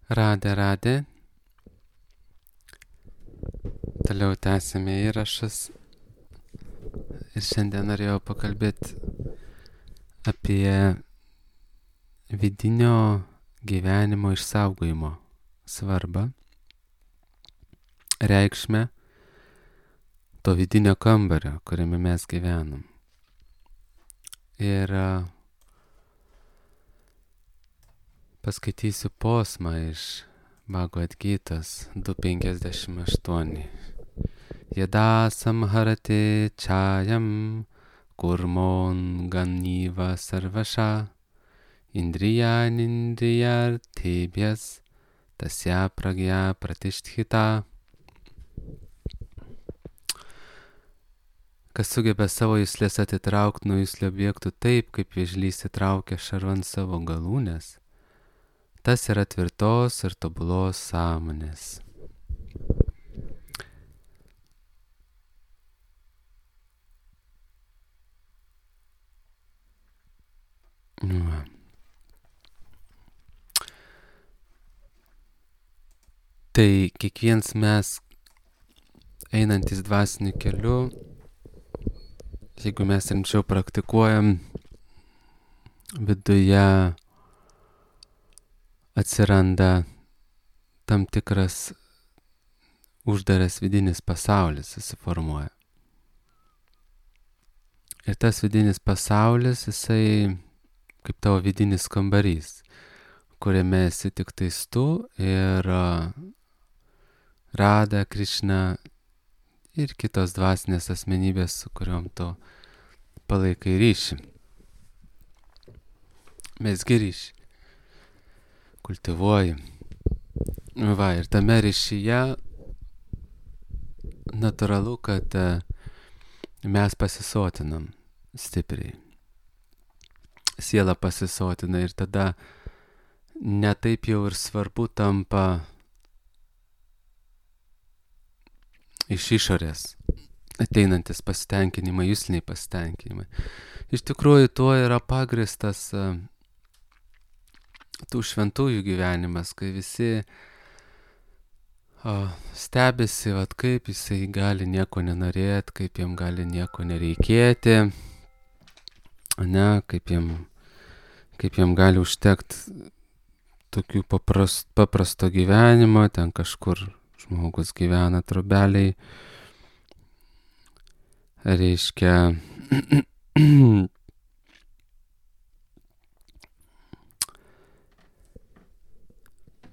Radė. Toliau tęsime įrašus. Ir šiandien norėjau pakalbėti apie vidinio gyvenimo išsaugojimo svarbą, reikšmę to vidinio kambario, kuriame mes gyvenam. Ir paskaitysiu posmą iš Bhagavad Gitos 2.58. Yada samharate chayam kurmon ganyva sarvasha indriyanindriyartebhyas tasya pragya pratisthita. Kas sugeba savo juslės atitraukti nuo juslio objektų taip, kaip vėžlys įtraukia šarvan savo galūnės, tas yra tvirtos ir tobulos sąmonės. Tai kiekvienas mes einantis dvasiniu keliu, jeigu mes rimčiau praktikuojam, viduje atsiranda tam tikras uždaras vidinis pasaulis susiformuoja. Ir tas vidinis pasaulis, jisai kaip tavo vidinis kambarys, kuriame esi tik tais tu ir Rada, Krišna ir kitos dvasinės asmenybės, su kuriuom tu palaikai ryšį. Mesgi ryšį. Kultivuoji. Va, ir tame ryšyje natūralu, kad mes pasisotinam stipriai. Siela pasisotina ir tada netaip jau ir svarbu tampa iš išorės ateinantis pasitenkinimai, jusliniai pasitenkinimai. Iš tikrųjų, tuo yra pagristas tų šventųjų gyvenimas, kai visi stebisi, kaip jisai gali nieko nenorėti, kaip jam gali nieko nereikėti, kaip jam gali užtekti tokių paprasto gyvenimo, ten kažkur žmogus gyvena trobeliai, reiškia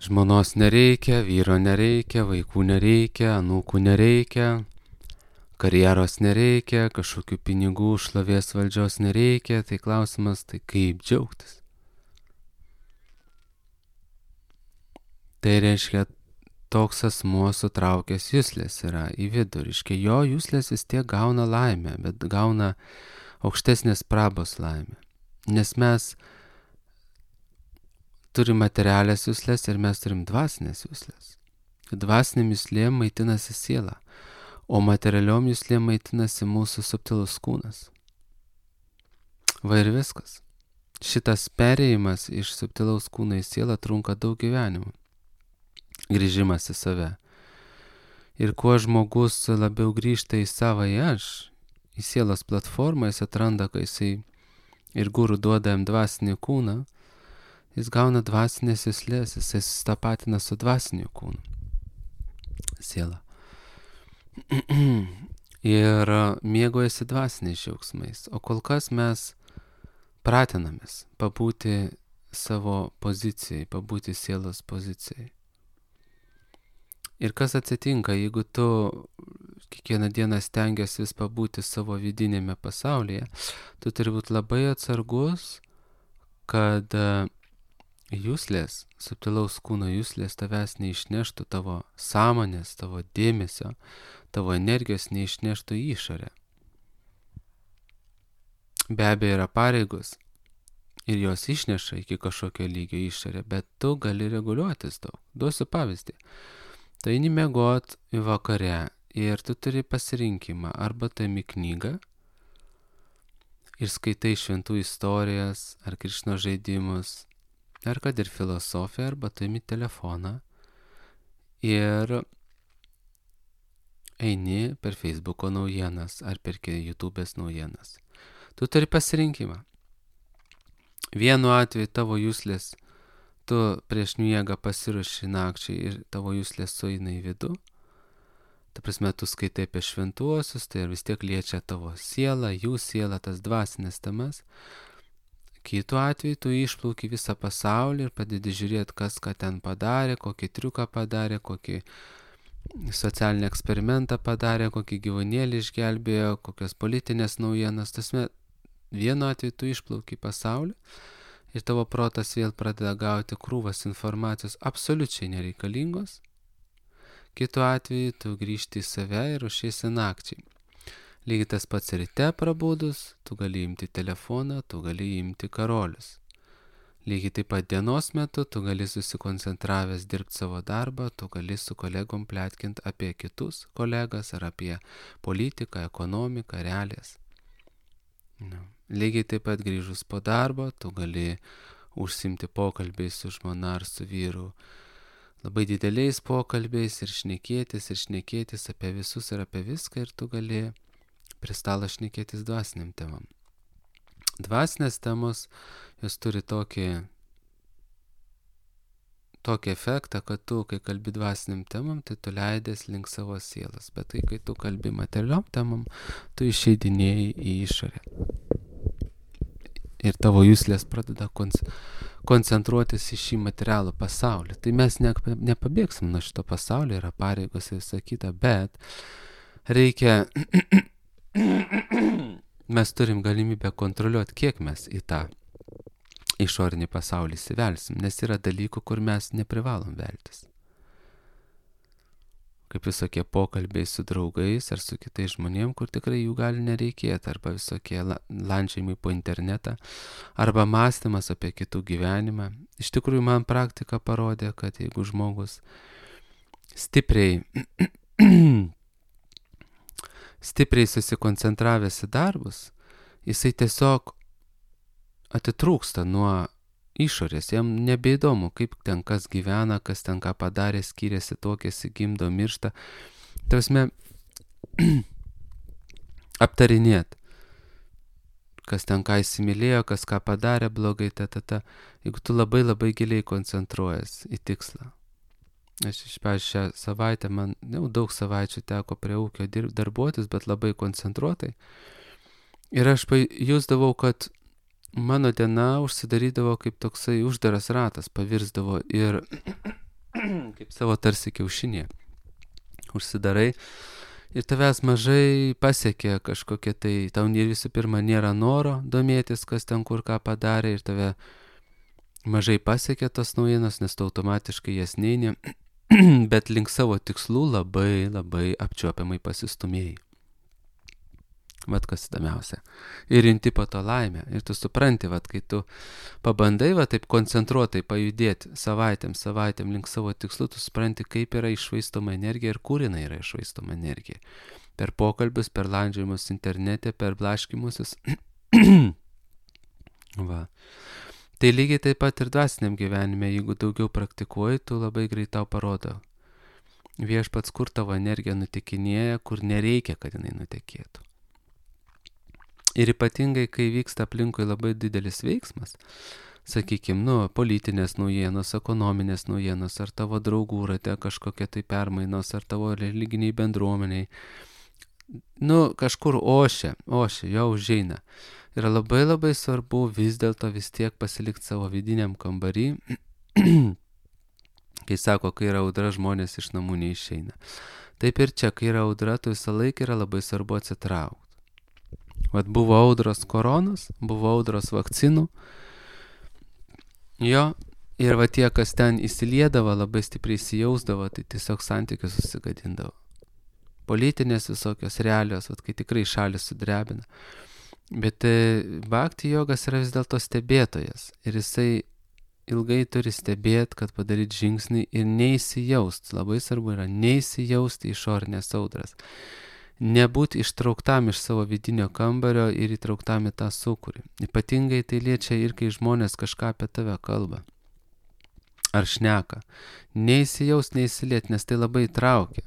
žmonos nereikia, vyro nereikia, vaikų nereikia, anūkų nereikia, karjeros nereikia, kažkokių pinigų, šlovės, valdžios nereikia, tai klausimas, tai kaip džiaugtis? Tai reiškia, toks asmuo sutraukęs juslės yra į vidų, reiškia, jo juslės vis tiek gauna laimę, bet gauna aukštesnės prabos laimę. Nes mes turim materialės juslės ir mes turim dvasinės juslės. Dvasinėm juslėm maitinasi siela, o materialiom juslėm maitinasi mūsų subtilus kūnas. Va ir viskas. Šitas perėjimas iš subtilaus kūno į sielą trunka daug gyvenimų. Grįžimas į save. Ir kuo žmogus labiau grįžta į savąjį aš, į sielos platformą, jis atranda, kai jisai ir guru duoda jam dvasinį kūną, jis gauna dvasinės juslės, jisai susitapatina su dvasiniu kūnu. Siela. Ir mėgaujasi dvasiniais džiaugsmais. O kol kas mes pratinamės pabūti savo pozicijai, pabūti sielos pozicijai. Ir kas atsitinka, jeigu tu kiekvieną dieną stengiasi vis pabūti savo vidinėme pasaulyje, tu turi būti labai atsargus, kad juslės, subtilaus kūno juslės tavęs neišneštų, tavo sąmonės, tavo dėmesio, tavo energijos neišneštų į išorę. Be abejo yra pareigos ir jos išneša iki kažkokio lygio išorę, bet tu gali reguliuotis daug. Duosiu pavyzdį. Tu eini miegot vakare ir tu turi pasirinkimą, arba tu imi knygą ir skaitai šventų istorijas ar Krišnos žaidimus, ar kad ir filosofija, arba tu imi telefoną ir eini per Facebooko naujienas ar per YouTube'ės naujienas. Tu turi pasirinkimą. Vienu atveju tavo juslės, tu prieš miegą pasiruoši nakčiai ir tavo juslės sueina į vidų. Ta prasme, tu skaitai apie šventuosius, tai vis tiek liečia tavo sielą, jų sielą, tas dvasinės temas. Kitu atveju tu išplauki visą pasaulį ir padedi žiūrėti, kas ką ten padarė, kokį triuką padarė, kokį socialinį eksperimentą padarė, kokį gyvūnėlį išgelbėjo, kokios politinės naujienas. Tasme, vienu atveju tu išplauki pasaulį ir tavo protas vėl pradeda gauti krūvas informacijos absoliučiai nereikalingos. Kitu atveju tu grįžti į save ir ruošiesi nakčiai. Lygiai tas pats ryte prabudus, tu gali imti telefoną, tu gali imti karolius. Lygiai taip pat dienos metu tu gali susikoncentravęs dirbti savo darbą, tu gali su kolegom pletkint apie kitus kolegas ar apie politiką, ekonomiką, realijas. Lygiai taip pat grįžus po darbo, tu gali užsimti pokalbiais su žmona ar su vyru, labai dideliais pokalbiais ir šnekėtis apie visus ir apie viską, ir tu gali prie stalo šnekėtis dvasiniam temam. Dvasinės temos, jos turi tokį efektą, kad tu, kai kalbi dvasiniam temam, tai tu leidės link savo sielos, bet tai, kai tu kalbi materialiom temam, tu išeidinėjai į išorę. Ir tavo juslės pradeda koncentruotis į šį materialų pasaulį. Tai mes nepabėgsim nuo šito pasaulio, yra pareigos ir visa kita, bet reikia, mes turim galimybę kontroliuoti, kiek mes į tą išorinį pasaulį įsivelsim, nes yra dalykų, kur mes neprivalom veltis. Kaip visokie pokalbiai su draugais ar su kitais žmonėm, kur tikrai jų gali nereikėti, arba visokie landžiojimai po internetą, arba mąstymas apie kitų gyvenimą. Iš tikrųjų, man praktika parodė, kad jeigu žmogus stipriai susikoncentravęs į darbus, jisai tiesiog atitrūksta nuo išorės, jam nebeįdomu, kaip ten kas gyvena, kas ten ką padarė, skiriasi, tuokėsi, gimdo, miršta. Tausme, aptarinėt, kas ten ką įsimylėjo, kas ką padarė blogai, jeigu tu labai labai giliai koncentruojas į tikslą. Aš šią savaitę, man jau daug savaičių teko prie ūkio darbuotis, bet labai koncentruotai. Ir aš jusdavau, kad mano diena užsidarydavo kaip toksai uždaras ratas, pavirsdavo ir kaip savo tarsi kiaušinė. Užsidarai ir tavęs mažai pasiekia kažkokie tai, tau visų pirma nėra noro domėtis, kas ten kur ką padarė, ir tave mažai pasiekia tos naujienos, nes tu automatiškai jas neini, bet link savo tikslų labai labai apčiuopiamai pasistumėjai. Vat kas įdomiausia. Ir inti po to laimę. Ir tu supranti, vat kai tu pabandai va taip koncentruotai pajudėti savaitėm link savo tikslų, tu supranti, kaip yra iššvaistoma energija ir kur jinai yra iššvaistoma energija. Per pokalbius, per landžiojimus internete, per blaškimusius. Va. Tai lygiai taip pat ir dvasiniam gyvenime, jeigu daugiau praktikuoji, tu labai greit tau parodo viešpats, kur tavo energija nutekinėja, kur nereikia, kad jinai nutekėtų. Ir ypatingai, kai vyksta aplinkui labai didelis veiksmas, sakykime, politinės naujienos, ekonominės naujienos, ar tavo draugų rate kažkokie tai permainos, ar tavo religiniai bendruomeniai, kažkur ošia, jau užeina. Yra labai labai svarbu vis dėlto vis tiek pasilikti savo vidiniam kambarį, kai sako, kai yra audra, žmonės iš namų neišeina. Taip ir čia, kai yra audra, tu visą laiką yra labai svarbu atsitraukti. Vat buvo audros koronos, buvo audros vakcinų, ir va tie, kas ten įsiliedavo, labai stipriai įsijausdavo, tai tiesiog santykius susigadindavo. Politinės visokios realijos, vat kai tikrai šalis sudrebina. Bet bhakti jogas yra vis dėlto stebėtojas, ir jisai ilgai turi stebėti, kad padaryti žingsnį ir neįsijaust. Labai svarbu yra neįsijausti į išorinės audras. Nebūti ištrauktam iš savo vidinio kambario ir įtrauktam į tą sūkurį. Ypatingai tai liečia ir kai žmonės kažką apie tave kalba. ar šneka. Neįsijaus, neįsiliet, nes tai labai traukia.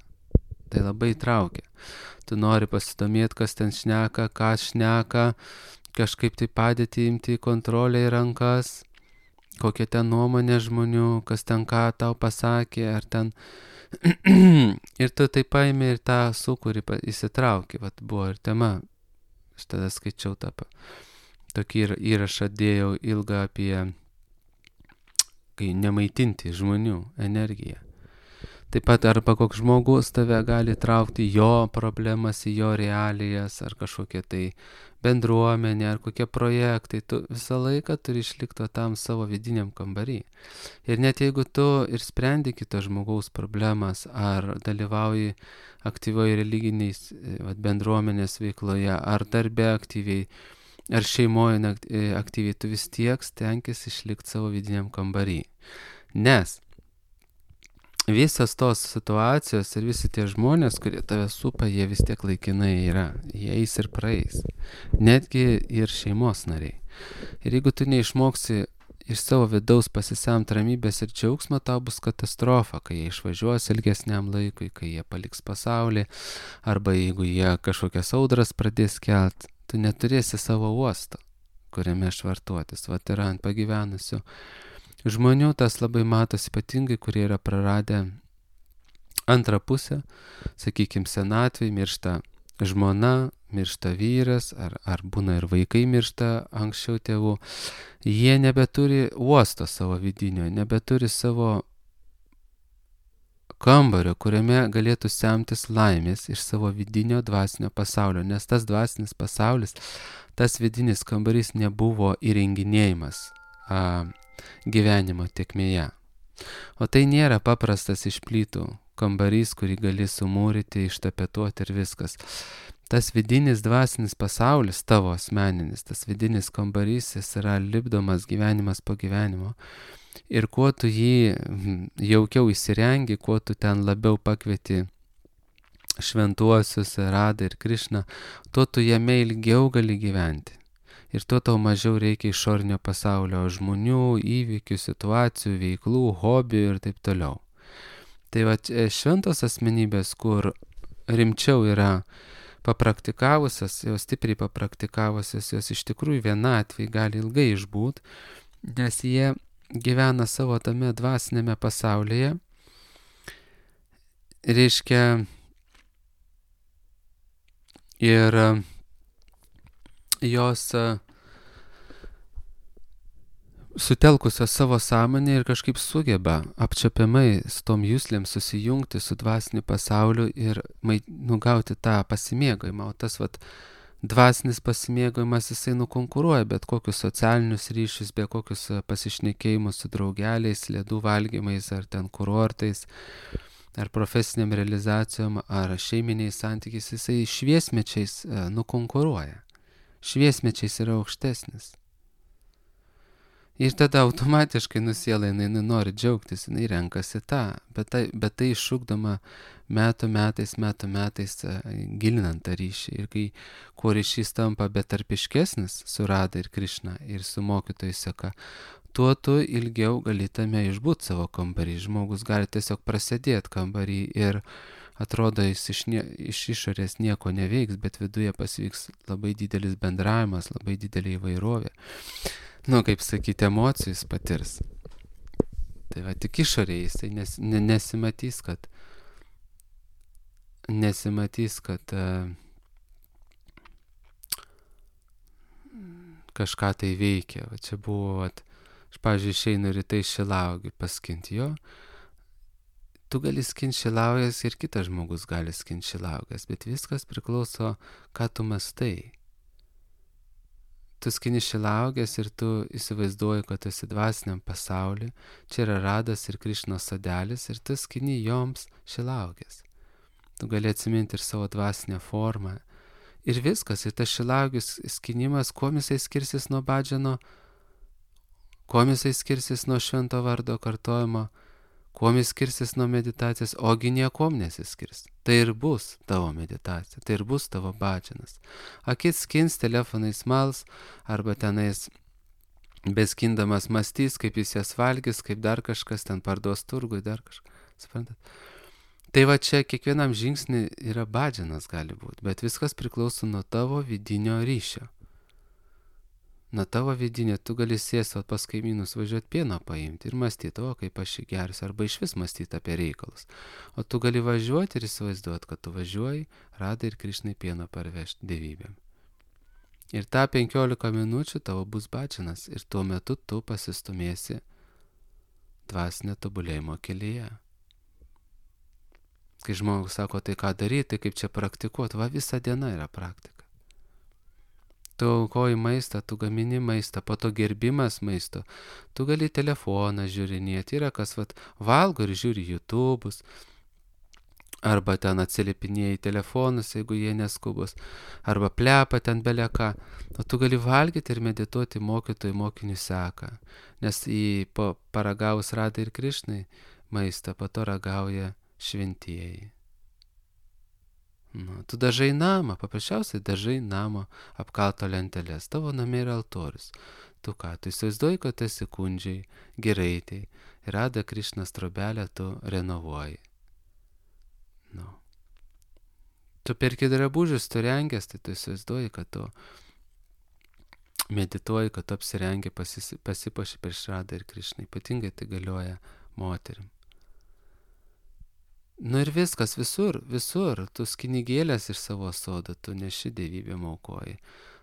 Tai labai traukia. Tu nori pasidomėti, kas ten šneka, ką šneka, kažkaip tai padėti imti kontrolę į rankas, kokia ten nuomonė žmonių, kas ten ką tau pasakė, ar ten... ir tu tai paimi ir tą sūkurį įsitrauki. Vat buvo ir tema. Aš tada skaičiau tokį įrašą dėjau ilgą apie kai nemaitinti žmonių energiją. Taip pat arba koks žmogus tave gali traukti jo problemas į jo realijas, ar kažkokie tai bendruomenė, ar kokie projektai. Tu visą laiką turi išlikti tam savo vidiniam kambarį. Ir net jeigu tu ir sprendi kito žmogaus problemas, ar dalyvauji aktyvioje religiniais bendruomenės veikloje, ar darbe aktyviai, ar šeimoje aktyviai, tu vis tiek stenkis išlikti savo vidiniam kambarį. Nes visas tos situacijos ir visi tie žmonės, kurie tave supa, jie vis tiek laikinai yra. Jie eis ir praeis. Netgi ir šeimos nariai. Ir jeigu tu neišmoksi iš savo vidaus pasisemti ramybės ir džiaugsmo, tau bus katastrofa, kai jie išvažiuos ilgesniam laikui, kai jie paliks pasaulį, arba jeigu jie kažkokias audras pradės kelt, tu neturėsi savo uosto, kuriame švartuotis. Vat yra ant pagyvenusių žmonių, tas labai matos ypatingai, kurie yra praradę antrą pusę, sakykime, senatvėj, miršta žmona, miršta vyras, ar būna ir vaikai miršta anksčiau tėvų. Jie nebeturi uosto savo vidinio, nebeturi savo kambario, kuriame galėtų semtis laimės iš savo vidinio dvasinio pasaulio, nes tas dvasinis pasaulis, tas vidinis kambarys nebuvo įrenginėjimas gyvenimo tėkmėje. O tai nėra paprastas iš plytų kambarys, kurį gali sumūryti, ištapetuoti ir viskas. Tas vidinis dvasinis pasaulis, tavo asmeninis, tas vidinis kambarys, jis yra lipdomas gyvenimas po gyvenimo. Ir kuo tu jį jaukiau įsirengi, kuo tu ten labiau pakvieti šventuosius, Radą ir Krišną, tuo tu jame ilgiau gali gyventi. Ir tuo tau mažiau reikia išorinio pasaulio žmonių, įvykių, situacijų, veiklų, hobių ir taip toliau. Tai va, šventos asmenybės, kur rimčiau yra papraktikavusios, jos stipriai papraktikavusios, jos iš tikrųjų vienatvėj gali ilgai išbūt, nes jie gyvena savo tame dvasinėme pasaulyje. Reiškia, ir jos sutelkusios savo sąmonę ir kažkaip sugeba apčiuopiamai su tom juslėm susijungti su dvasiniu pasauliu ir gauti tą pasimėgojimą. O tas dvasinis pasimėgojimas, jisai nukonkuruoja bet kokius socialinius ryšius, bet kokius pasišnekėjimus su draugeliais, ledų valgymais ar ten kurortais, ar profesiniam realizacijom, ar šeiminiais santykiais, jisai šviesmečiais nukonkuruoja. Šviesmečiais yra aukštesnis. Ir tada automatiškai siela, jinai nori džiaugtis, jinai renkasi tą, bet tai iššūkdama metų metais gilinant tą ryšį. Ir kai kuo ryšys tampa betarpiškesnis su Rada ir Krišna ir su mokytojų seka, tuo tu ilgiau gali tame išbūt savo kambarį. Žmogus gali tiesiog prasėdėti kambarį ir atrodo, jis iš išorės nieko neveiks, bet viduje pasivyks labai didelis bendravimas, labai didelė įvairovė. Kaip sakyti, emocijų jis patirs. Tai va, tik išorėje jisai nesimatys, kad kažką tai veikia. Va, čia buvo, aš, pavyzdžiui, išeinu rytai šilauogių paskinti jo. Tu gali skinti šilauoges ir kitas žmogus gali skinti šilauoges, bet viskas priklauso, ką tu mąstai. Tu skini šilauoges ir tu įsivaizduoji, kad tu esi dvasiniam pasauly, čia yra Radas ir Krišnos sodelis ir tu skini joms šilauoges. Tu gali atsiminti ir savo dvasinę formą. Ir viskas, ir tas šilauogių skinimas, kuo jisai skirsis nuo badžano, kuo jisai skirsis nuo švento vardo kartojimo, kuo jis skirsis nuo meditacijos, ogi niekom nesiskirs. Tai ir bus tavo meditacija, tai ir bus tavo badžanas. Akis skins, telefonais mals, arba tenais beskindamas mąstys, kaip jis jas valgys, kaip dar kažkas ten parduos turgui, dar kažką. Suprantat? Tai va čia kiekvienam žingsnį yra badžinas gali būti, bet viskas priklauso nuo tavo vidinio ryšio. Nuo tavo vidinio, tu gali sėsti pas kaimynus, važiuoti pieno paimti ir mąstyti, o kaip aš jį gersiu, arba iš vis mąstyti apie reikalus. O tu gali važiuoti ir įsivaizduoti, kad tu važiuoji, Radai ir Krišnai pieno parvežti dievybėm. Ir tą 15 minučių tavo bus badžinas ir tuo metu tu pasistumėsi dvasinio tobulėjimo kelyje. Kai žmogus sako, tai ką daryti, tai kaip čia praktikuoti, va visa diena yra praktika. Tu aukoji maistą, tu gamini maistą, po to gerbimas maisto, tu gali telefoną žiūrinėti, yra kas valgo ir žiūri YouTube'us, arba ten atsiliepinėja į telefonus, jeigu jie neskubus, arba plepa ten beleką, o tu gali valgyti ir medituoti mokytojų mokinių seką, nes paragaus Radai ir Krišnai maistą, po to ragauja šventieji. Tu dažai namą, paprasčiausiai dažai namo apkalto lentelės, tavo namai yra altorius. Tu ką, tu įsivaizduoji, kad esi kundžiai, giraitei, ir Rada Krišnos trobelę tu renovuoji. Tu perki drabužius, tu rengęs, tai tu įsivaizduoji, kad tu medituoji, kad tu apsirengi, pasipuoši prieš Radą ir Krišną, ypatingai tai galioja moterim. Ir viskas, visur, tu skinigėlės iš savo sodo, tu neši dievybėm aukoji.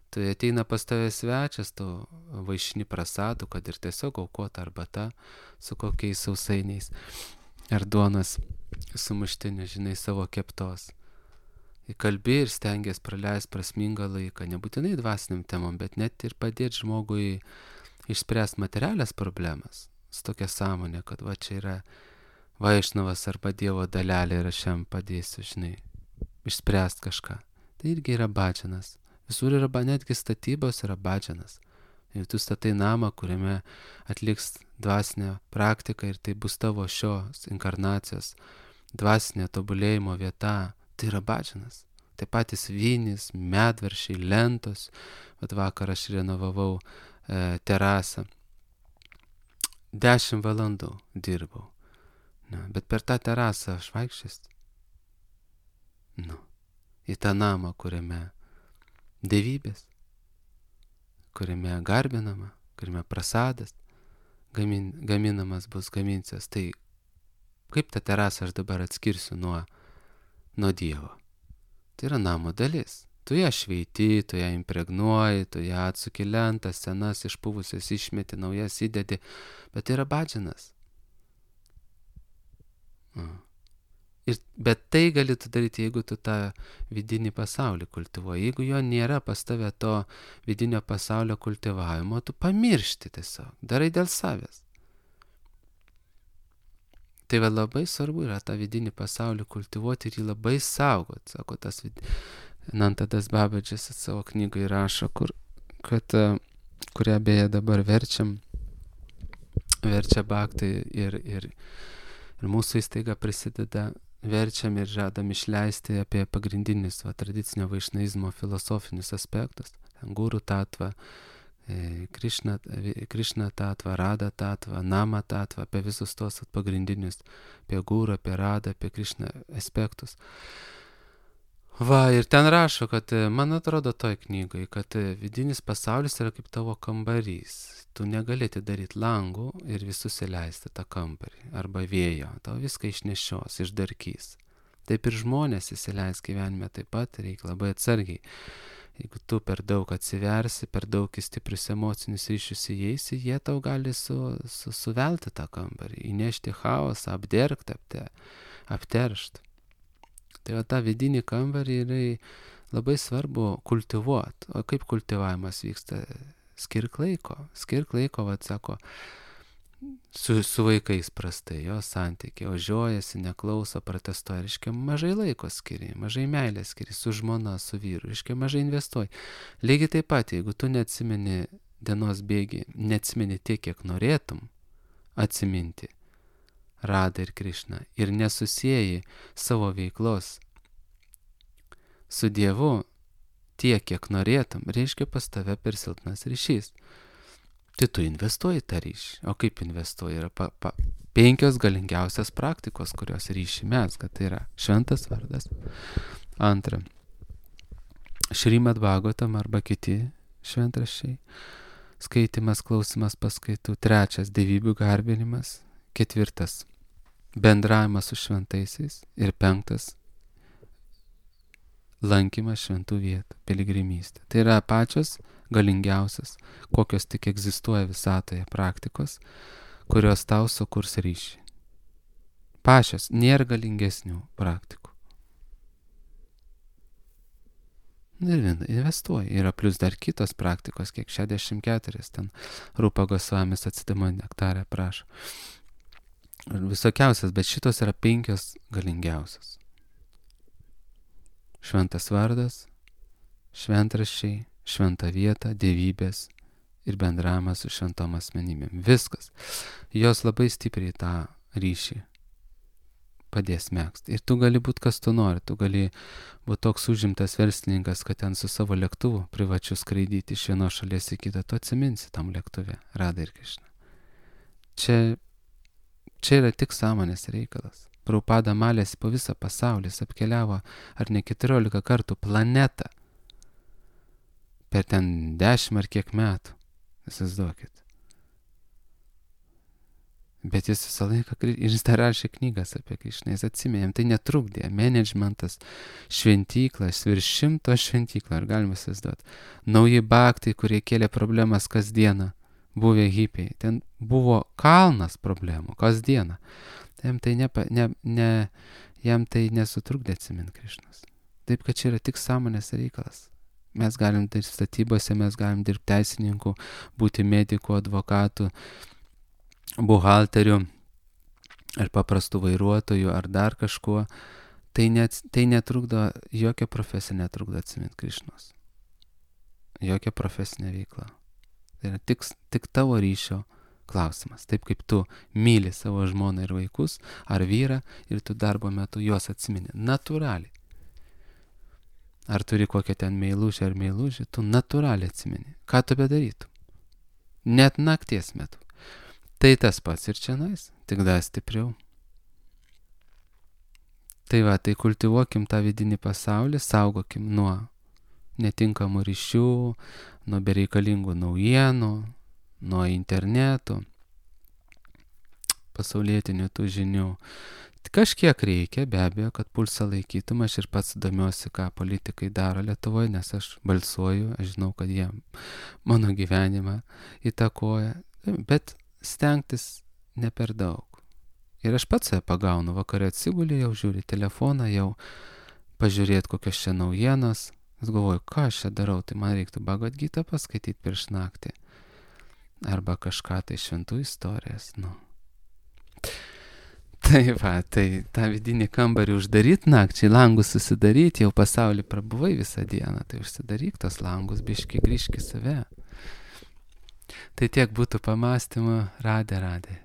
Tu ateina pas tave svečias, tu vaišini prasadų, kad ir tiesiog aukota arbata su kokiais sausainiais ar duonos sumuštiniu, žinai, savo keptos. Įkalbi ir stengiasi praleisti prasmingą laiką, nebūtinai dvasiniam temom, bet net ir padėti žmogui išspręsti materialias problemas. Su tokia sąmonė, kad va čia yra Vaišnavas arba Dievo dalelė ir aš jam padėsiu, žinai, išspręsti kažką. Tai irgi yra badžianas. Visur yra, netgi statybos yra badžianas. Ir tu statai namą, kuriame atliks dvasinę praktiką ir tai bus tavo šios inkarnacijos dvasinė tobulėjimo vieta, tai yra badžianas. Tai patys vynis, medvaršiai, lentos. Vakar aš renovavau terasą. 10 valandų dirbau. Bet per tą terasą aš vaikščias. Į tą namą, kuriame dievybės, kuriame garbinama, kuriame prasadas gaminamas bus, gaminsias. Tai kaip tą terasą aš dabar atskirsiu nuo Dievo? Tai yra namo dalis. Tu ją šveiti, tu ją impregnuoji, tu ją atsuki lentas, senas išpuvusias išmeti, naujas įdedi, bet tai yra badžianas. Bet tai gali tu daryti, jeigu tu tą vidinį pasaulį kultivuoji. Jeigu jo nėra pas tave to vidinio pasaulio kultivavimo, tu pamiršti tiesiog, darai dėl savęs. Tai labai svarbu yra tą vidinį pasaulį kultivuoti ir jį labai saugoti. Sako tas Nantadas Babadžis savo knygai rašo, kurią beje dabar verčia Bhaktai ir mūsų įstaiga prisideda, verčiam ir žadam išleisti apie pagrindinius tradicinio vaišnavizmo filosofinius aspektus. Guru tatvą, Krišna tatvą, Rada tatvą, Nama tatvą, apie visus tos pagrindinius, apie Guru, apie Radą, apie Krišną aspektus. Ir ten rašo, kad man atrodo toj knygoj, kad vidinis pasaulis yra kaip tavo kambarys. Tu negali atidaryti langų ir visus įleisti tą kambarį arba vėjo. Tau viską išnešios, išdarkys. Taip ir žmonės įsileis gyvenime taip pat, reikia labai atsargiai. Jeigu tu per daug atsiversi, per daug į stiprius emocinius ryšius įeisi, jie tau gali suvelti tą kambarį, įnešti chaosą, apderkti, apteršti. Tai tą vidinį kambarį yra labai svarbu kultivuoti. O kaip kultivavimas vyksta? Skirk laiko, sako, su vaikais prastai, jo santykiai, ožiojasi, neklauso, protestuoja, reiškia, mažai laiko skiri, mažai meilės skiri, su žmona, su vyru, reiškia, mažai investuoji. Lygiai taip pat, jeigu tu neatsimeni dienos bėgi, neatsimeni tiek, kiek norėtum atsiminti Radą ir Krišną ir nesusieji savo veiklos su Dievu tiek, kiek norėtum, reiškia pas tave per silpnas ryšys. Tai tu investuoji tą ryšį. O kaip investuoji? Yra 5 galingiausias praktikos, kurios ryšį mezga. Tai yra šventas vardas. Antra, Šrimad Bhagavatam arba kiti šventraščiai. Skaitimas, klausimas paskaitų. 3, dievybių garbinimas. 4, bendravimas su šventaisiais. Ir 5, lankymas šventų vietų, piligrimystė. Tai yra pačios galingiausias, kokios tik egzistuoja visatoje praktikos, kurios tau sukurs ryšį. Pačios, nėra galingesnių praktikų. Ir investuoji. Yra plus dar kitos praktikos, kiek 64, ten Rupa Gosvamis Atsidamo nektarę prašo. Visokiausias, bet šitos yra 5 galingiausias. Šventas vardas, šventraščiai, šventa vieta, dievybės ir bendravimas su šventom asmenybėm. Viskas. Jos labai stipriai tą ryšį padės megzti. Ir tu gali būti kas tu nori. Tu gali būti toks užimtas verslininkas, kad ten su savo lėktuvu privačiu skraidyti iš vienos šalies į kitą. Tu atsiminsi tam lėktuve, Radha ir Krišna. Čia yra tik sąmonės reikalas. Prabhupada malėsi po visą pasaulį, jis apkeliavo ar ne 14 kartų planetą per ten 10 ar kiek metų. Įsivaizduokit. Bet jis visą laiką, ir jis dar rašė knygas apie Krišną, jis atsiminė, tai netrukdė, managementas, šventyklas, virš 100 šventyklą, ar galima įsivaizduoti. Nauji bhaktai, kurie kėlė problemas kasdieną, buvę hipiai, ten buvo kalnas problemų kasdieną. Jam tai nesutrukdė atsiminti Krišnos. Taip, kad čia yra tik sąmonės reikalas. Mes galim dirbti statybose, mes galim dirbti teisininkų, būti medikų, advokatų, buhalterių, ar paprastų vairuotojų, ar dar kažkuo. Tai netrukdo, jokia profesija netrukdo atsiminti Krišnos. Jokia profesinė veikla. Tai yra tik tavo ryšio klausimas. Taip kaip tu myli savo žmoną ir vaikus, ar vyrą, ir tu darbo metu juos atsimeni. Natūraliai. Ar turi kokią ten meilužę ar meilužį, tu natūraliai atsimeni. Ką tu bedarytum? Net nakties metu. Tai tas pats ir čianais, tik dar stipriau. Tai va, tai kultivuokim tą vidinį pasaulį, saugokim nuo netinkamų ryšių, nuo bereikalingų naujienų, nuo internetų, pasaulietinių tų žinių. Kažkiek reikia, be abejo, kad pulsą laikytum. Aš ir pats domiuosi, ką politikai daro Lietuvoje, nes aš balsuoju, aš žinau, kad jie mano gyvenimą įtakoja, bet stengtis ne per daug. Ir aš pats save pagaunu, vakare atsigulį, jau žiūri telefoną, jau pažiūrėti kokios čia naujienos. Aš galvoju, ką aš čia darau, tai man reiktų Bhagavad Gitą paskaityti prieš naktį. Arba kažką tai šventų istorijas, Tai va, tai tą vidinį kambarį uždaryti nakčiai, langus susidaryti, jau pasaulį prabuvai visą dieną, tai užsidaryk tos langus, biški grįžk į save. Tai tiek būtų pamąstymų, Radhe.